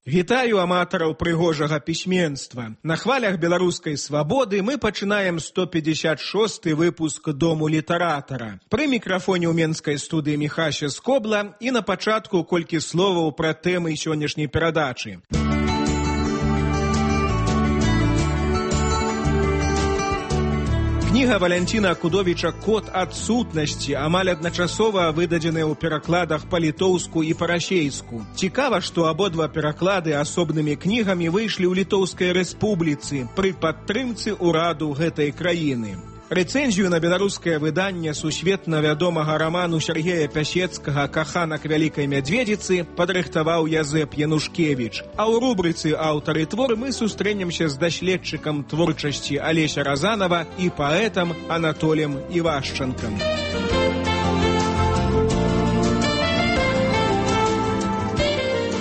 Вітаю аматараў прыгожага пісьменства. На хвалях беларускай свабоды мы пачынаем 156-й выпуск Дому літаратара. Пры мікрафоне ў менскай студыі Міхася Скобла і на пачатку колькі словаў пра тэмы сённяшняй перадачы. Кніга Валянціна Акудовіча «Код адсутнасці» амаль адначасова выдадзеная ў перакладах па-літоўску і па-расейску. Цікава, што абодва пераклады асобнымі кнігамі выйшлі ў Літоўскай рэспубліцы пры падтрымцы ўраду гэтай краіны. Рэцэнзію на беларускае выданне сусветна вядомага раману Сергея Пясецкага «Каханак вялікай мядзведзіцы» падрыхтаваў Язэп Янушкевіч. А ў рубрыцы «Аўтары твор» мы сустрэнемся з даследчыкам творчасці Алеся Разанова і паэтам Анатолем Івашчанкам.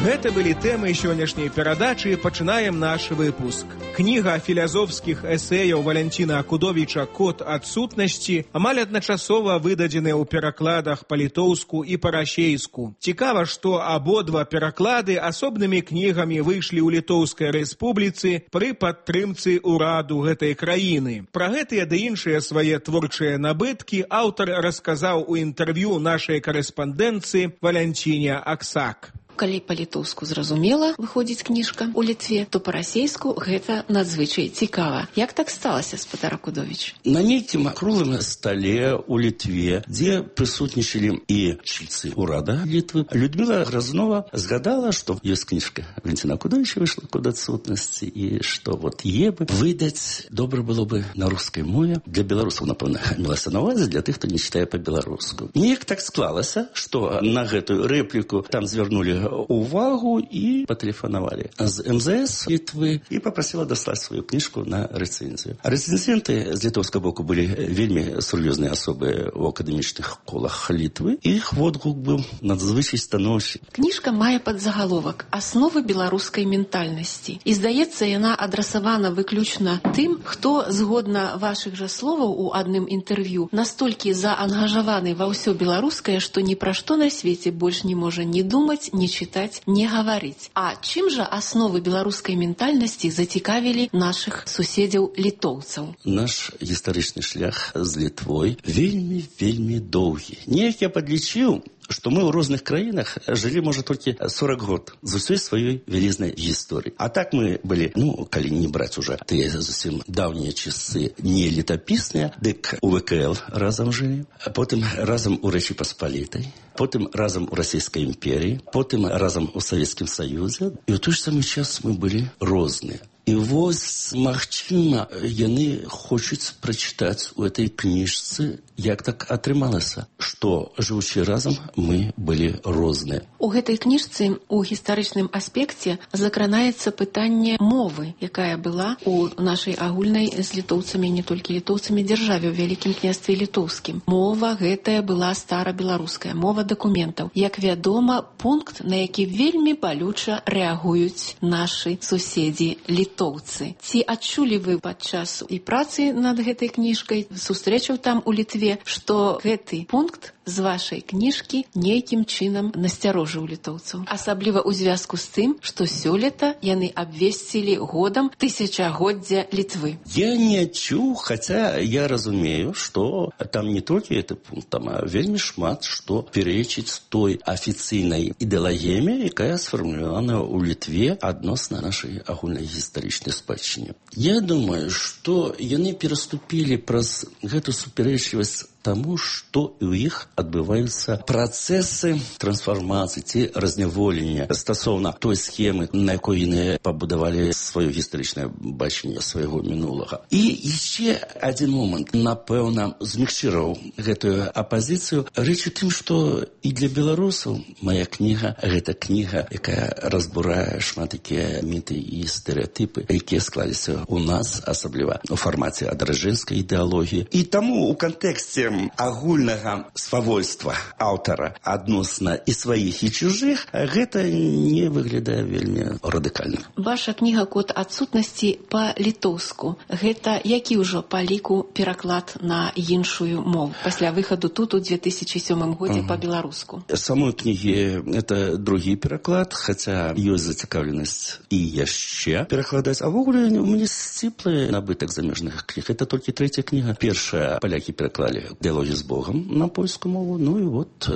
Гэта былі тэмы сённяшняй перадачы, пачынаем наш выпуск. Кніга філазофскіх эсэяў Валянціна Акудовіча «Код адсутнасці» амаль адначасова выдадзены ў перакладах па-літоўску і па-расейску. Цікава, што абодва пераклады асобнымі кнігамі выйшлі ў Літоўскай рэспубліцы пры падтрымцы ўраду гэтай краіны. Пра гэтыя ды іншыя свае творчыя набыткі аўтар расказаў у інтэрв'ю нашай карэспандэнцыі Валянціне Аксак. Калі па-літоўску зразумела выходзіць кніжка ў Літве, то па-расейску гэта надзвычай цікава. Як так сталася, спадар Акудовіч? На нейкім круглым стале ў Літве, дзе прысутнічалі і чальцы ўрада Літвы, Людміла Грознова згадала, што ёсць кніжка Валянціна Акудовіча выйшла «Код адсутнасці» і што вот е бы выдаць добра было бы на рускай мове. Для беларусаў, напэўна, мелася на ўвазе, для тых, хто не чытае па-беларуску. Неяк так склалася, што на гэтую рэпліку там звярнулі увагу і патэлефанавалі з МЗС Літвы і папрасіла даслаць сваю кніжку на рэцэнзію. Рэцэнзенты з літоўскага боку былі вельмі сур'ёзныя асобы ў акадэмічных колах Літвы. Іх водгук быў надзвычай станоўчы. Кніжка мае падзагаловак «Асновы беларускай ментальнасці». І, здаецца, яна адрасавана выключна тым, хто, згодна вашых жа словаў у адным інтэрв'ю, настолькі заангажаваны ва ўсё беларускае, што ні пра што на свеце больш не можа ні думаць, ні чытаць, не гаварыць. А чым жа асновы беларускай ментальнасці зацікавілі нашых суседзяў літоўцаў? Наш гістарычны шлях з Літвой вельмі доўгі. Неяк я падлічыў, што мы ў розных краінах жылі, можа, толькі 40 год з усёй сваёй вялізнай гісторыі. А так мы былі, калі не браць уже тыя зусім даўнія часы не летапісныя, дык у ВКЛ разам жылі, потым разам у Рэчы Паспалітай, потым разам у Расійскай імперіі, потым разам у Савецкім Саюзе. І ў той ж самы час мы былі розныя. І вось, магчыма, яны хочуць прачытаць у этой кніжцы, як так атрымалася, што, жывучы разам, мы былі розныя. У гэтай кніжцы у гістарычным аспекце закранаецца пытанне мовы, якая была у нашай агульнай з літоўцамі, не толькі літоўцамі, дзяржаве ў Вялікім княстве літоўскім. Мова гэтая была старабеларуская, мова дакументаў. Як вядома, пункт, на які вельмі балюча рэагуюць нашы суседзі літоўцы. Ці адчулі вы падчас і працы над гэтай кніжкай, сустрэчаў там у Літве, што гэты пункт з вашай кніжкі нейкім чынам насцярожыў літоўцаў? Асабліва ў звязку з тым, што сёлета яны абвесцілі годам тысячагоддзя Літвы. Я не адчуў, хаця я разумею, што там не толькі гэты пункт, там вельмі шмат што перечыць той афіцыйнай ідэалагіяме, якая сфармулявана ў Літве адносна нашай агульнай гістарычнай спадчыне. Я думаю, што яны пераступілі праз гэту супярэчлівасць таму, што ў іх адбываюцца працэсы трансфармацыі ці разняволення стасоўна той схемы, на якой яны пабудавалі сваё гістарычнае бачанне свайго мінулага. І яшчэ адзін момант, напэўна, змягчыраў гэтую апазіцыю. Рэч у тым, што і для беларусаў мая кніга — гэта кніга, якая разбурае шмат такія міты і стэрэатыпы, якія склаліся ў нас, асабліва у фармаце адраджэнскай ідэалогіі. І таму у кантэксце пунктам агульнага свавольства аўтара адносна і сваіх, і чужых, гэта не выглядае вельмі радыкальна. Ваша кніга «Код адсутнасці» па-літоўску. Гэта які ўжо па ліку пераклад на іншую мову пасля выхаду тут у 2007 годзе па-беларуску? Самой кнігі это другі пераклад, хаця ёсць зацікаўленасць і яшчэ перакладаць. А ввогуле у мяне сціплы набытак замежных кніг. Это толькі трэця кніга. Першая палякі пераклалі «Дыялогі з Богом» на польскую мову. Ну і вот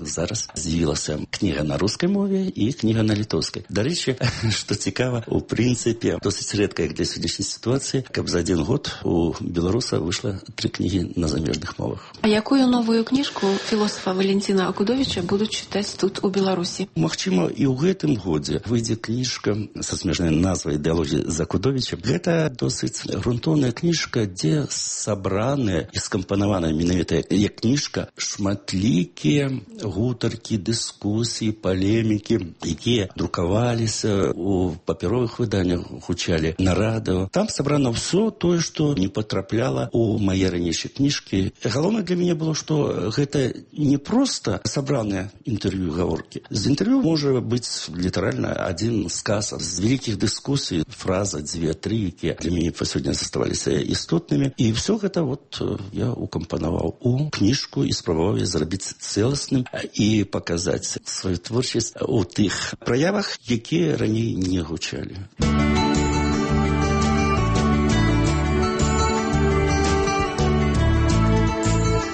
зараз з'явілася кніга на рускай мове і кніга на літоўскай. Дарэчы, што цікава, у прынцыпе досыць рэдка, як для сённяшняй сітуацыі, каб за один год у беларуса выйшла 3 кнігі на замежных мовах. А якую новую кніжку філосафа Валентина Акудовича будуць чытаць тут у Беларусі? Магчыма, і ў гэтым годзе выйдзе кніжка са смешнай назвай «Дыялогі з Акудовічам». Гэта досыць грунтоўная кніжка, дзе сабраныя і скампанаваная менавіта як кніжка шматлікія гутаркі, дыскусіі, палемікі, якія друкаваліся у папяровых выданнях, гучалі на радыё. Там сабрана ўсё тое, што не потрапляла у мае ранейшыя кніжкі. Галоўнае для мяне было, што гэта не проста сабраныя інтэрв'ю і гаворкі. З інтэрв'ю можа быць літаральна один сказ з вялікіх дыскусій, фраза, 2-3, якія для мяне па сёння заставаліся істотнымі. І ўсё гэта вот я укампанаваў у кніжку і спрабаваў зрабіць цэласным і паказаць сваю творчасць у тых праявах, якія раней не гучалі.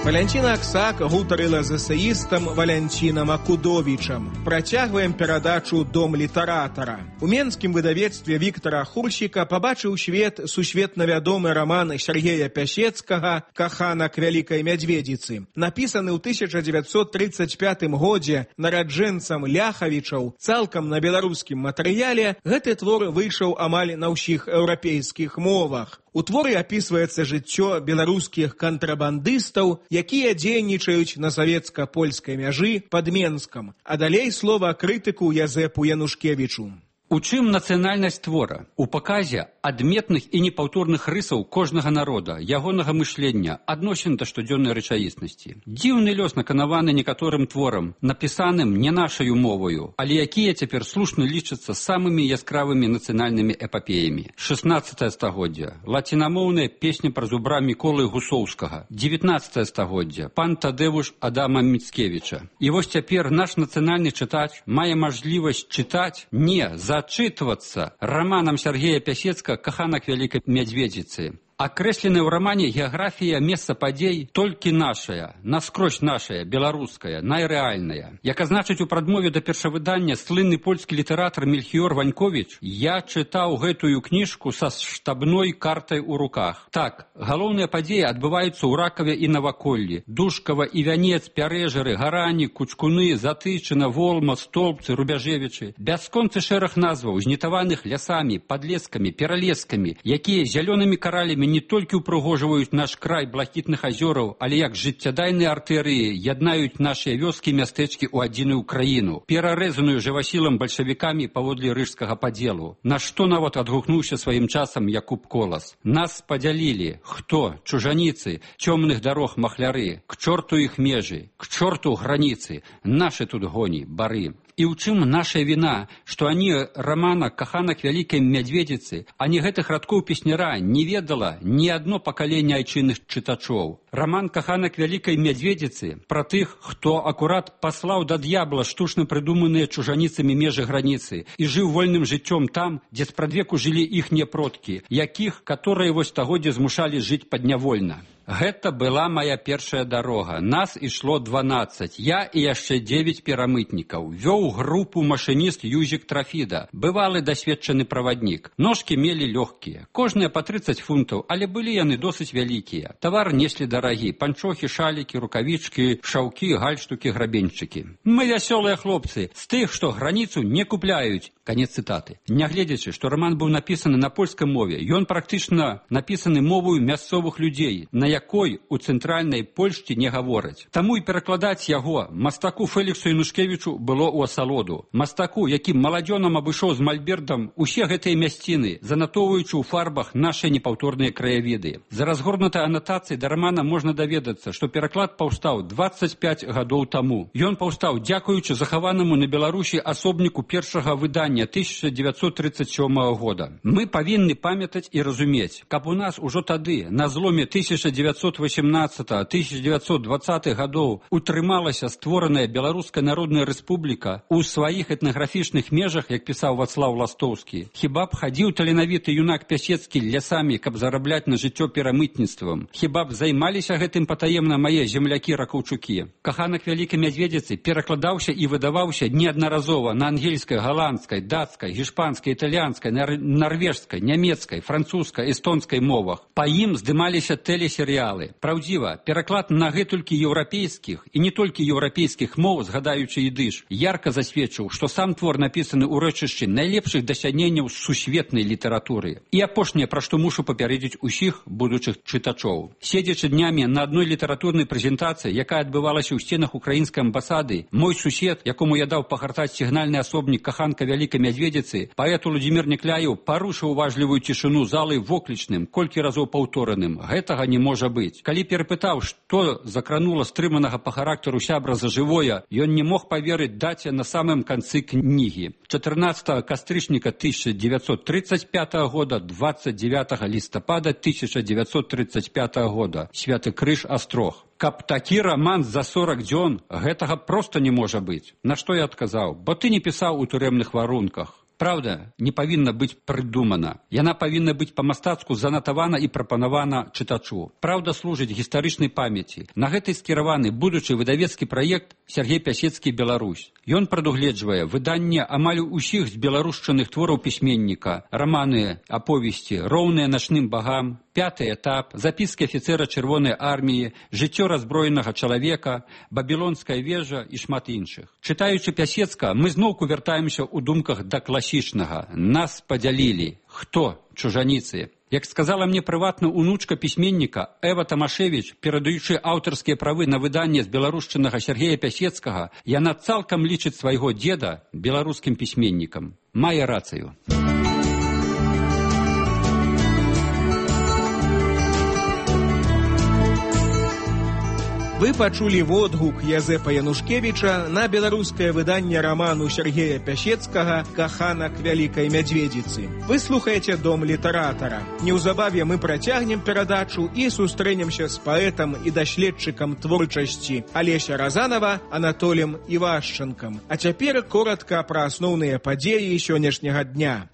Валянціна Аксак гутарыла з эсеістам Валянцінам Акудовічам. Працягваем перадачу «Дом літаратара». У менскім выдавецтве Віктара Хурсіка пабачыў свет сусветна вядомы раман Сергея Пясецкага «Каханак вялікай мядзведзіцы». Напісаны ў 1935 годзе нараджэнцам Ляхавічаў цалкам на беларускім матэрыяле, гэты твор выйшаў амаль на ўсіх еўрапейскіх мовах. У творы апісваецца жыццё беларускіх кантрабандыстаў, якія дзейнічаюць на савецка-польскай мяжы пад Менскам. А далей слова крытыку Язэпу Янушкевічу. У чым нацыянальнасць твора? У паказе адметных і непаўторных рысаў кожнага народа, ягонага мышлення, адносін да штодзённай рэчаіснасці. Дзіўны лёс наканаваны некаторым творам, напісаным не нашаю моваю, але якія цяпер слушна лічацца самымі яскравымі нацыянальнымі эпапеямі. 16 стагоддзя. Лацінамоўная песня пра зубра Міколы Гусоўскага. 19 стагоддзя. Пан Тадэвуш Адама Міцкевіча. І вось цяпер наш нацыянальны чытач мае мажлівасць чытаць не зачытвацца раманам Сергея Пясецкага «Каханак вялікай мядзведзіцы». Акрэсленая ў рамане геаграфія месца падзей толькі нашая, наскрозь нашая, беларуская, найрэальная. Як азначыць у прадмове да першавыдання слынны польскі літаратар Мельхіёр Ваньковіч, я чытаў гэтую кніжку са штабной картай у руках. Так, галоўныя падзеі адбываюцца ў Ракаве і Наваколлі. Душкава і Вянец, Пярэжары, Гарані, Кучкуны, Затычына, Волма, Столбцы, Рубяжевічы. Бясконцы шэраг назваў, знітаваных лясамі, падлескамі, пералескамі, якія зялёнымі каралямі не толькі ўпрыгожваюць наш край блакітных азёраў, але як жыццядайныя артэрыі яднаюць нашыя вёскі і мястэчкі ў адзіную краіну, перарэзаную жывасілам бальшавікамі паводле рыжскага падзелу. На што нават адгукнуўся сваім часам Якуб Колас. Нас падзялілі. Хто? Чужаніцы, цёмных дарог махляры, к чорту іх межы, к чорту граніцы, нашы тут гоні, бары. І ў чым наша віна, што ані рамана «Каханак вялікай мядзведзіцы», ані гэтых радкоў песняра не ведала ні адно пакаленне айчынных чытачоў. Раман «Каханак вялікай мядзведзіцы» пра тых, хто акурат паслаў да д'ябла штучна прыдуманыя чужаніцамі межы граніцы і жыў вольным жыццём там, дзе спрадвеку жылі іхнія продкі, якіх, каторыя вось стагоддзя змушалі жыць паднявольна. Гэта была моя першая дарога. Нас ішло 12. Я і яшчэ 9 перамытнікаў. Вёў групу машыніст Юзік Трафіда. Бывалы дасведчаны праваднік. Ножкі мелі лёгкія. Кожныя па 30 фунтаў, але былі яны досыць вялікія. Тавар неслі дарагі. Панчохі, шалікі, рукавічкі, шаўкі, гальштукі, грабеньчыкі. Мы вясёлыя хлопцы. З тых, што граніцу не купляюць Канец цытаты. Нягледзячы, што раман быў напісаны на польскай мове, ён практычна напісаны мовою мясцовых людзей, на якой у цэнтральнай Польшчы не гавораць. Таму і перакладаць яго мастаку Феліксу Янушкевічу было ў асалоду. Мастаку, які маладзёнам абышоў з мальбертам усе гэтыя мясціны, занатоўваючы ў фарбах нашы непаўторныя краявіды. За разгорнутай анатацыяй да рамана можна даведацца, што пераклад паўстаў 25 гадоў таму. Ён паўстаў дзякуючы захаванаму на Беларусі асобніку першага выдання 1937 года. Мы павінны памятаць і разумець, каб у нас ужо тады, на зломе 1918-1920 гадоў, утрымалася створаная Беларуская Народная Рэспубліка у сваіх этнаграфічных межах, як пісаў Вацлаў Ластоўскі. Хіба б хадзіў таленавіты юнак Пясецкі лясамі, каб зарабляць на жыццё перамытніцтвам? Хіба б займаліся гэтым патаемна мае землякі-ракаўчукі? Каханак Вялікай Мядзведзіцы перакладаўся і выдаваўся неаднаразова на ангельскай, галандскай, дацкай, гішпанскай, італьянскай, нарвежскай, нямецкай, французскай, эстонскай мовах. Па ім здымаліся тэлесерыялы. Праўдзіва, пераклад на гэтулькі еўрапейскіх і не толькі еўрапейскіх моў, згадаючы ідыш, ярка засведчыў, што сам твор напісаны ў рэчышчы найлепшых дасягненняў сусветнай літаратуры. І апошняе, пра што мушу папярэдзіць усіх будучых чытачоў. Седзячы днямі на адной літаратурнай прэзентацыі, якая адбывалася ў сценах украінскай амбасады, мой сусед, якому я даў пагартаць сігнальны асобнік Каханка Вялікай Мядзведзіцы, паэт Уладзімір Некляеў парушыў уважлівую цішыну залы воклічным, колькі разоў паўтораным. Гэтага не можа быць. Калі перапытаў, што закранула стрыманага па характару сябра за жывое, ён не мог паверыць даце на самым канцы кнігі. 14 кастрычніка 1935 года, 29 лістапада 1935 года. Святы Крыж, Астрог. Каб такі раман за 40 дзён, гэтага проста не можа быць. На што я адказаў? Бо ты не пісаў у турэмных варунках. Праўда не павінна быць прыдумана. Яна павінна быць па-мастацку занатавана і прапанавана чытачу. Праўда служыць гістарычнай памяці. На гэтай скіраваны будучы выдавецкі праект Сергей Пясецкі «Беларусь». Ён прадугледжвае выданне амаль усіх з беларушчаных твораў пісьменніка, раманы, аповесці, роўныя начным багам, «Пятый этап», записки афіцера Чырвонай арміі, жыццё раззброенага чалавека, Бабілонская вежа і шмат іншых. Чытаючы Пясецка, мы зноўку вяртаемся ў думках да класічнага. Нас падзялілі. Хто? Чужаніцы. Як сказала мне прыватна унучка пісьменніка Эва Тамашевіч, перадаючы аўтарскія правы на выданне з беларушчынага Сергея Пясецкага, яна цалкам лічыць свайго дзеда беларускім пісьменнікам. Мае рацыю. Вы пачулі водгук Язэпа Янушкевіча на беларускае выданне раману Сергея Пясецкага «Каханак Вялікай Мядзведзіцы». Вы слухаеце Дом літаратара. Неўзабаве мы працягнем перадачу і сустрэнемся з паэтам і даследчыкам творчасці Алеся Разанова Анатолем Івашчанкам. А цяпер коратка пра асноўныя падзеі сённяшняга дня.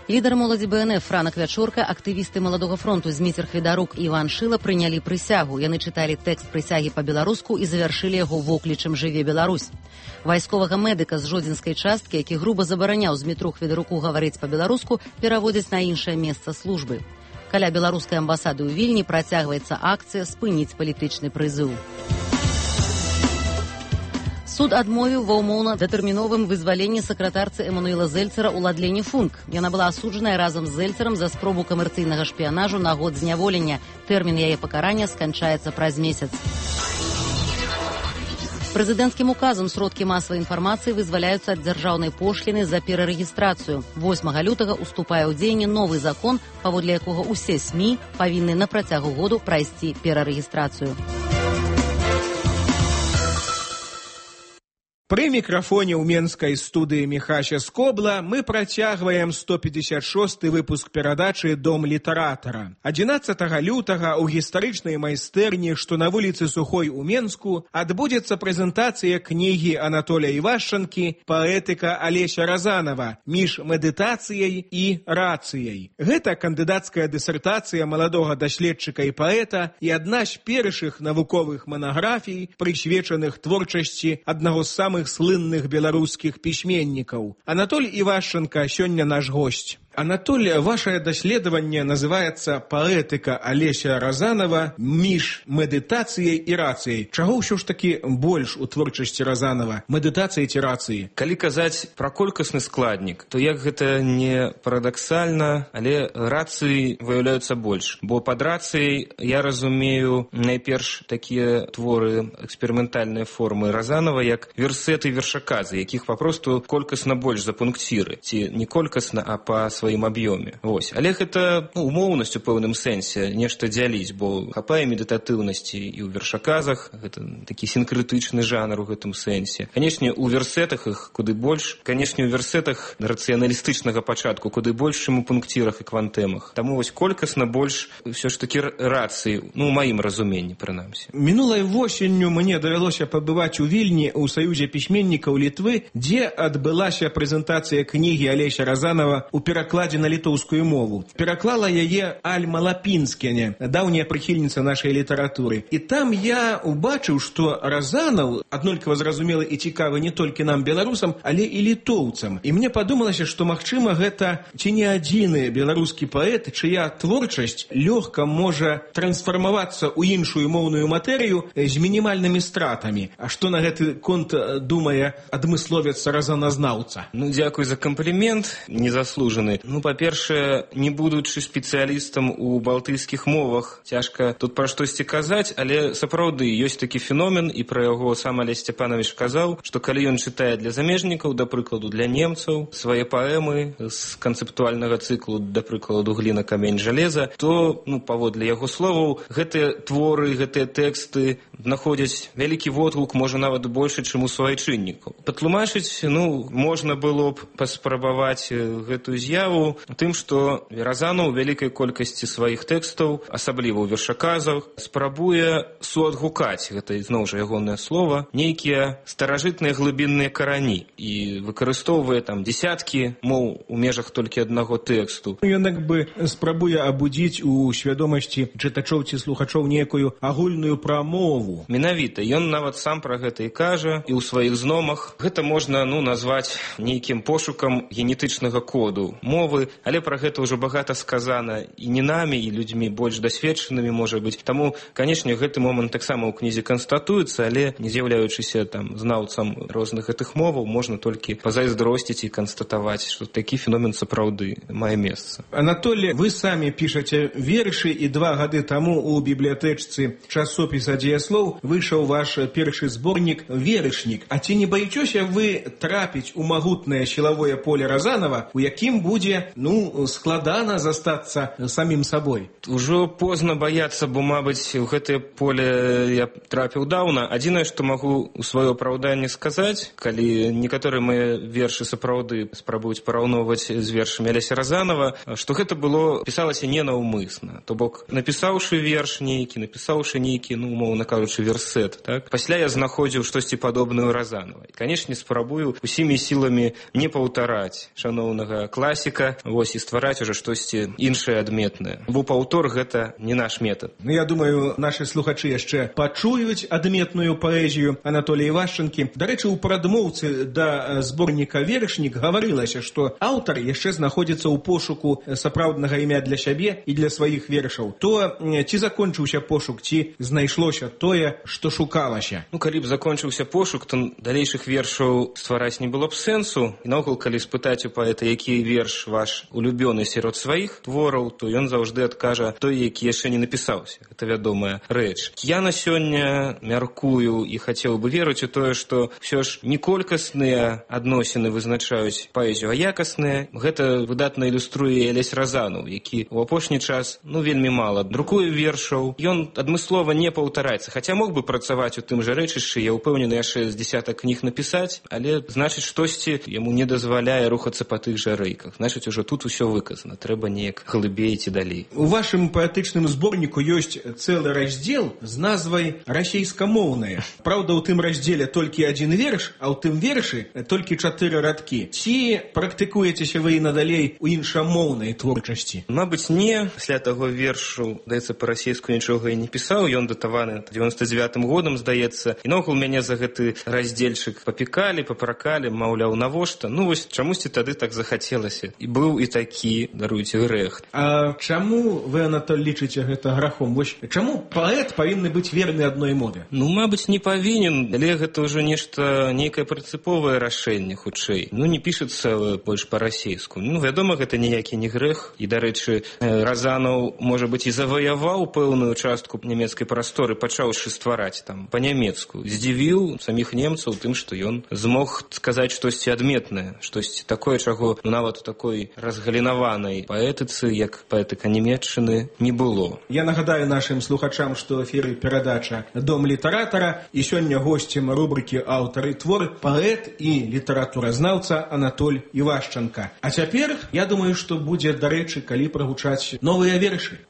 Лідар моладзі БНФ Франак Вячорка, актывісты Маладога фронту Зміцер Хведарук і Іван Шыла прынялі прысягу. Яны чыталі тэкст прысягі па-беларуску і завяршылі яго воклічам «Жыве Беларусь». Вайсковага медыка з жодзінскай часткі, які груба забараняў Змітру Хведаруку гаварыць па-беларуску, пераводзяць на іншае месца службы. Каля беларускай амбасады ў Вільні працягваецца акцыя «Спыніць палітычны прызыў». Суд адмовіў ва ўмоўна-датэрміновым вызваленні сакратарцы Эмануэла Зельцера Уладлене Функ. Яна была асуджаная разам з Зельцерам за спробу камерцыйнага шпіянажу на год зняволення. Тэрмін яе пакарання сканчаецца праз месяц. Прэзідэнцкім указам сродкі масавай інфармацыі вызваляюцца ад дзяржаўнай пошліны за перарэгістрацыю. 8 лютага уступае ў дзеянне новы закон, паводле якога ўсе СМІ павінны на працягу году прайсці перарэгістрацыю. Пры мікрафоне ў менскай студыі Міхася Скобла мы працягваем 156 выпуск перадачы «Дом літаратара». 11 лютага ў гістарычнай майстэрні, што на вуліцы Сухой у Менску, адбудзецца прэзентацыя кнігі Анатоля Івашчанкі «Паэтыка Алеся Разанова. Між медытацыяй і рацыяй». Гэта кандыдацкая дысертацыя маладога даследчыка і паэта і адна з першых навуковых манаграфій, прысвечаных творчасці аднаго з самых слынных беларускіх пісьменнікаў. Анатоль Івашчанка сёння наш госць. Анатолий, ваше даследаванне называется «Поэтика Олеся Разанова між медитацией и рацией». Чаго ўсё ж таки больш у творчасці Разанова? Медитации ці рации? Калі казаць пра колькасны складнік, то як гэта не парадаксальна, але рацыі выяўляюцца больш. Бо пад рацыяй я разумею найперш такія творы, эксперыментальныя формы Разанова, як версеты, вершаказы, якіх папросту колькасна больш за пункціры. Ці не колькасна, а па сваім аб'ёме. Вось. Але гэта умоўнасць у пэўным сэнсе, нешта дзяліць, бо хапае медытатыўнасці і ў вершаказах, гэта такі сінкрэтычны жанр у гэтым сэнсе. Канешне, у версетах іх куды больш, канешне, у версетах рацыяналістычнага пачатку куды больш, чым у пункцірах і квантэмах. Таму вось колькасна больш ўсё ж такі рацыі, у маім разуменні, прынамсі. Мінулай восенню мне давялося пабываць у Вільні ў Саюзе пісьменнікаў Літвы, дзе адбылася прэзентацыя кнігі Алеся Разанова ў перакладзе на літоўскую мову. Пераклала яе Альма Лапінскене, даўняя прыхільніца нашай літаратуры. І там я убачыў, што Разанов аднолькава зразумелы і цікавы не толькі нам, беларусам, але і літоўцам. І мне падумалася, што, магчыма, гэта ці не адзіны беларускі паэт, чыя творчасць лёгка можа трансфармавацца ў іншую моўную матэрыю з мінімальнымі стратамі. А што на гэты конт думае адмысловец разаназнаўца? Дзякуй за камплімент, незаслужаны. Па-першае, не будучы спецыялістам у балтыйскіх мовах, цяжка тут пра штосьці казаць, але сапраўды ёсць такі феномен, і пра яго сам Алесь Сцяпанович казаў, што калі ён чытае для замежнікаў, да прыкладу для немцаў, свае паэмы з канцэптуальнага цыклу, да прыкладу «Гліна, камень, жалеза», то, паводле яго словаў, гэтыя творы, гэтыя тэксты знаходзяць вялікі водгук, можа нават больше, чым у суайчыннікаў. Патлумачыць, можна было б паспрабаваць гэтую з'яву тым, што Разанов у вялікай колькасці сваіх тэкстаў, асабліва ў вершаказах, спрабуе суадгукаць, гэта зноў жа ягонае слова, нейкія старажытныя глыбінныя карані і выкарыстоўвае там дзесяткі моў у межах толькі аднаго тэксту. Ён як бы спрабуе абудзіць у свядомасці чытачоў ці слухачоў некую агульную прамову. Менавіта, ён нават сам пра гэта і кажа, і ў сваіх зномах. Гэта можна, назваць нейкім пошукам генетычнага коду мовы, але пра гэта ўжо багата сказана і не намі, і людзьмі больш дасведчанымі, можа быць. Таму, канешне, гэты момант таксама ў кнізе канстатуецца, але не з'яўляючыся там знаўцам розных гэтых моваў, можна толькі пазайздросціць і канстатаваць, што такі феномен сапраўды мае месца. Анатолий, вы самі пішаце вершы, і 2 гады таму у бібліятэчцы часопіса «Дзеяслоў» выйшаў ваш першы зборнік «Верышнік». А ці не баіцеся вы трапіць у магутнае сілавое поле Разанова, у якім будзе, складана застацца самім сабой? Ужо позна баяцца, бо, мабыць, у гэтае поле я трапіў даўна. Адзінае, што магу у сваё апраўданне сказаць, калі некаторыя мае вершы сапраўды спрабуюць параўноўваць з вершамі Алеся Разанова, што гэта пісалася ненаўмысна. То бок, напісаўшы верш нейкі, напісаўшы нейкі, умоўна кажучы, версет, так? Пасля я знаходзіў штосьці падобнае ў Разанова. І, канешне, спрабую усімі сіламі не паўтараць шаноўнага класіка, і ствараць ужо штосьці іншае адметнае. Бо паўтор гэта не наш метад. Я думаю, нашы слухачы яшчэ пачуюць адметную паэзію Анатолія Івашчанкі. Дарэчы, у прадмоўцы да зборніка «Верышнік» гаварылася, што аўтар яшчэ знаходзіцца ў пошуку сапраўднага імя для сябе і для сваіх вершаў. То ці закончыўся пошук, ці знайшлося тое, што шукалася? Калі б закончыўся пошук, то далейшых вершаў ствараць не было б сэнсу. І наогул, калі спытаць у паэта, які верш ваш улюбёны сярод сваіх твораў, то ён заўжды адкажа той, які яшчэ не напісаўся. Гэта вядомая рэч. Я на сёння мяркую і хацеў бы верыць у тое, што ўсё ж не колькасныя адносіны вызначаюць паэзію, а якасныя. Гэта выдатна ілюструе Алесь Разанов, які ў апошні час вельмі мала друкуе вершаў. Ён адмыслова не паўтараецца, хаця мог бы працаваць у тым жа рэчышчы, я ўпэўнены, яшчэ з дзесятак кніг напісаць, але, значыць, штосьці яму не дазваляе рухацца па тых жа рэйках. Значыць, ужо тут усё выказана, трэба неяк глыбей ці далей. У вашым паэтычным зборніку ёсць цэлы раздзел з назвай «Расейскамоўнае». Праўда, у тым раздзеле толькі адзін верш, а ў тым вершы толькі 4 радкі. Ці практыкуецеся вы і надалей у іншамоўнай творчасці? Мабыць, не. Пасля таго вершу, здаецца, па-расейску нічога і не пісаў. Ён датаваны 99-м годам, здаецца. І наогул мяне за гэты раздзельчык папікалі, папракалі, маўляў, навошта? Вось чамусьці тады так захацелася. І І быў і такі, даруйце, грэх. А чаму вы, Анатоль, лічыце гэта грахом? Вось чаму паэт павінны быць верны адной мове? Ну, мабыць, не павінен, але гэта ўжо нешта, нейкае прынцыповае рашэнне, хутчэй. Ну, не пішацца больш па-расейску. Ну, вядома, гэта ніякі не грэх. І, дарэчы, Разанаў, можа быць, і заваяваў пэўную частку нямецкай прасторы, пачаўшы ствараць там па-нямецку. Здзівіў саміх немцаў тым, што ён змог сказаць штосьці адметнае, штосьці такое, чаго нават у такой разгалінаванай паэтыцы, як паэтыка нямецчыны, не было. Я нагадаю нашым слухачам, што ў эфіры перадача «Дом літаратара», і сёння госцем рубрыкі «Аўтары твор» паэт і літаратуразнаўца Анатоль Івашчанка. А цяпер, я думаю, што будзе дарэчы, калі прагучаць новыя вершы.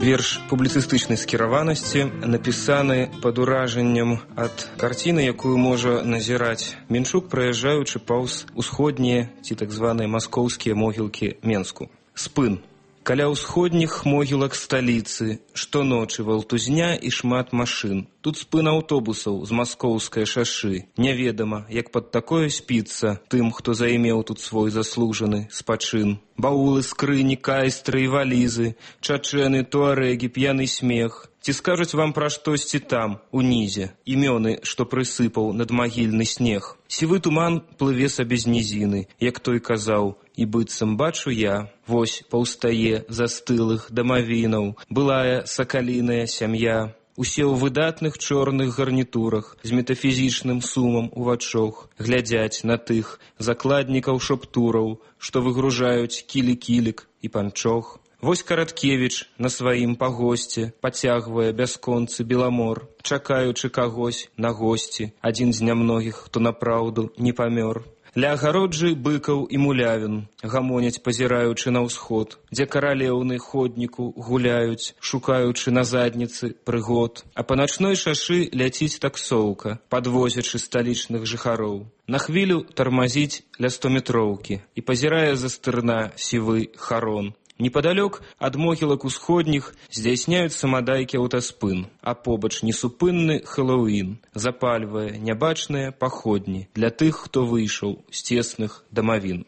Верш публіцыстычнай скіраванасці напісаны пад уражаннем ад карціны, якую можа назіраць Менчук, праязджаючы паўз усходнія ці так званыя маскоўскія могілкі Менску. Спын. Каля ўсходніх могілак сталіцы штоночы валтузня і шмат машын. Тут спын аўтобусаў з маскоўскай шашы. Няведама, як пад такое спіцца тым, хто займеў тут свой заслужаны спачын. Баулы, скрыні, кайстры і валізы, чачэны, туарэгі, п'яны смех. Ці скажуць вам пра штосьці там, унізе, імёны, што прысыпаў надмагільны снег. Сівы туман плыве сабе з нізіны, як той казаў, і быццам бачу я, вось паўстае застылых дамавінаў, былая сакаліная сям'я. Усе ў выдатных чорных гарнітурах, з метафізічным сумам у вачох, глядзяць на тых закладнікаў шоптураў, што выгружаюць кілі-кілік і панчох. Вось Караткевіч на сваім пагосце пацягвае бясконцы беламор, чакаючы кагось на госці, адзін з нямногіх, хто напраўду не памёр. Ля агароджы быкаў і мулявін гамоняць, пазіраючы на ўсход, дзе каралеўны ходніку гуляюць, шукаючы на задніцы прыгод. А па начной шашы ляціць таксоўка, падвозячы сталічных жыхароў. На хвілю тармазіць ля 100-метроўкі і пазірае за стырна сівы харон. Непадалёк ад могілак усходніх здзяйсняюць самадайкі аўтаспын, а побач несупынны Хэллоуін запальвае нябачныя паходні для тых, хто выйшаў з цесных дамавін.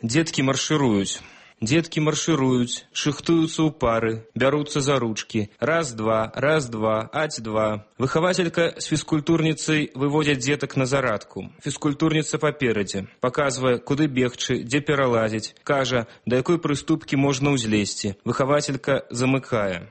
Дзеткі маршыруюць. Дзеткі маршыруюць, шыхтуюцца ў пары, бяруцца за ручкі. Раз-два, аць-два. Выхавацелька з фізкультурніцай выводзяць дзетак на зарадку. Фізкультурніца паперадзе, паказвае, куды бегчы, дзе пералазіць, кажа, да якой прыступкі можна ўзлезці. Выхавацелька замыкае.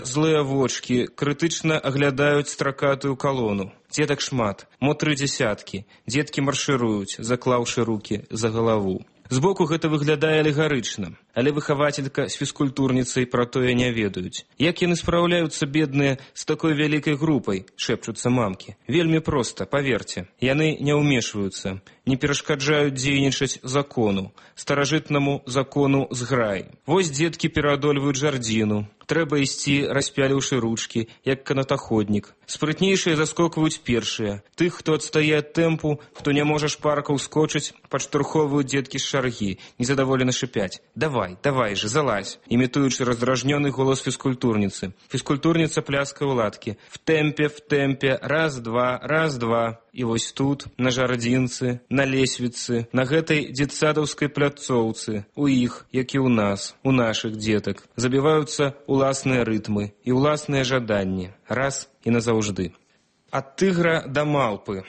Злыя вочкі крытычна аглядаюць стракатую калону. Дзетак шмат, мо 3 дзесяткі. Дзеткі маршыруюць, заклаўшы рукі за галаву. Збоку гэта выглядае алегарычна, але выхавацелька з фізкультурніцай пра тое не ведаюць. Як яны спраўляюцца, бедныя, з такой вялікай групай, шэпчуцца мамкі. Вельмі проста, паверце. Яны не ўмешваюцца, не перашкаджаюць дзейнічаць закону, старажытнаму закону зграй. Вось дзеткі пераадольваюць жардзіну. Трэба ісці, распяліўшы ручкі, як канатаходнік. Спрытнейшыя заскокваюць першыя. Тых, хто адстае ад тэмпу, хто не можа шпарка ўскочыць, падштурхоўваюць дзеткі з шаргі, незадаволена шыпяць. Давай же, залазь, імітуючы раздражнёны голас фізкультурніцы. Фізкультурніца пляскае ў ладкі. В тэмпе, раз-два. І вось тут, на жардзінцы, на лесвіцы, на гэтай дзетсадаўскай пляцоўцы, у іх, як і ў нас, у нашых дзетак, забіваюцца уласныя рытмы і уласныя жаданні, раз і назаўжды. Ад тыгра да малпы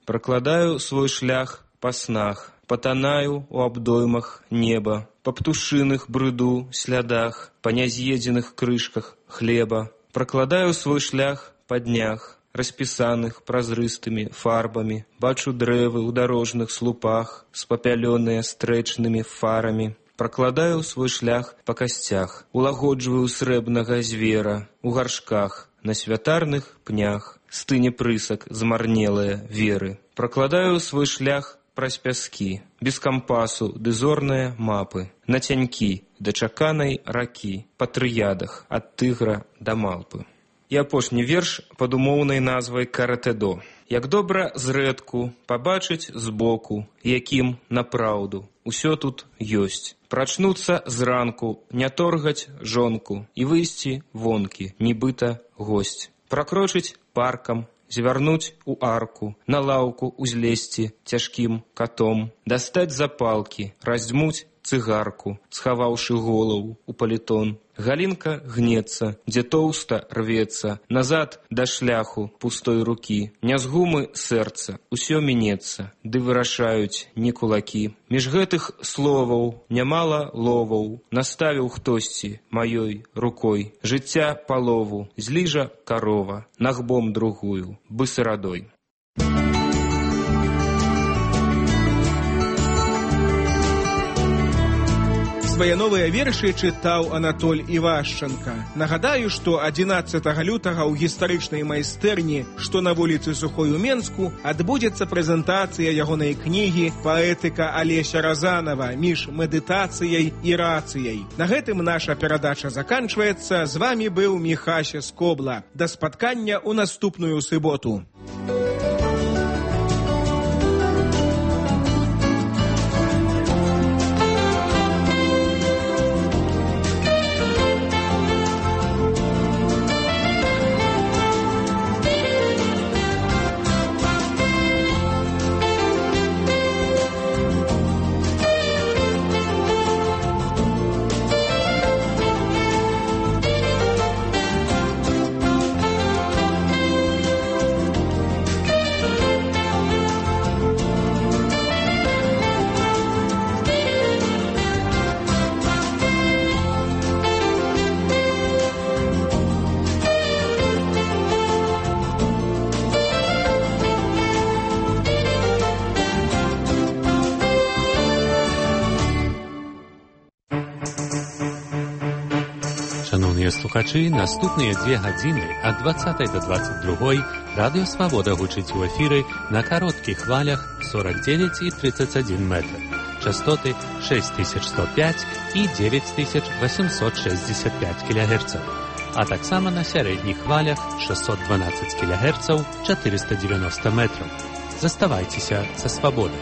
пракладаю свой шлях па снах, патанаю у абдоймах неба, па птушыных брыду слядах, па няз'едзеных крышках хлеба, пракладаю свой шлях па днях, распісаных празрыстымі фарбамі, бачу дрэвы ў дарожных слупах, спапялёныя стрэчнымі фарамі. Пракладаю свой шлях па касцях, улагоджваю срэбнага звера, у гаршках, на святарных пнях, стыне прысак змарнелыя веры. Пракладаю свой шлях праз пяскі, без кампасу ды зорныя мапы, на цянькі да чаканай ракі, па трыядах ад тыгра да малпы. І апошні верш пад умоўнай назвай «Каратэдо». Як добра зрэдку пабачыць збоку, якім напраўду усё тут ёсць. Прачнуцца зранку, не торгаць жонку і выйсці вонкі, нібыта госць. пракрочыць паркам, звярнуць у арку, на лаўку узлезці цяжкім катом, дастаць запалкі, раздзьмуць цыгарку, схаваўшы голову у палітон. Галінка гнецца, дзе тоўста рвецца, назад да шляху пустой рукі. Не з гумы сэрца, усё мінецца, ды вырашаюць не кулакі. Між гэтых словаў нямала ловаў, наставіў хтосьці маёй рукой. Жыцця палову, зліжа карова, нагбом другую, бысырадой. Свае новыя вершы чытаў Анатоль Івашчанка. Нагадаю, што 11 лютага ў гістарычнай майстэрні, што на вуліцы Сухой у Менску, адбудзецца прэзентацыя ягонай кнігі «Паэтыка Алеся Разанова. Між медытацыяй і рацыяй». На гэтым наша перадача заканчваецца. З вамі быў Міхася Скобла. Да спаткання ў наступную суботу. Слухачы, наступныя 2 гадзіны ад 20 до 22 Радыё Свабода гучыць у эфіры на кароткіх хвалях 49 і 31 метр. Частоты 6105 і 9865 кГц. А таксама на сярэдніх хвалях 612 кГц 490 метров. Заставайцеся са Свабодай.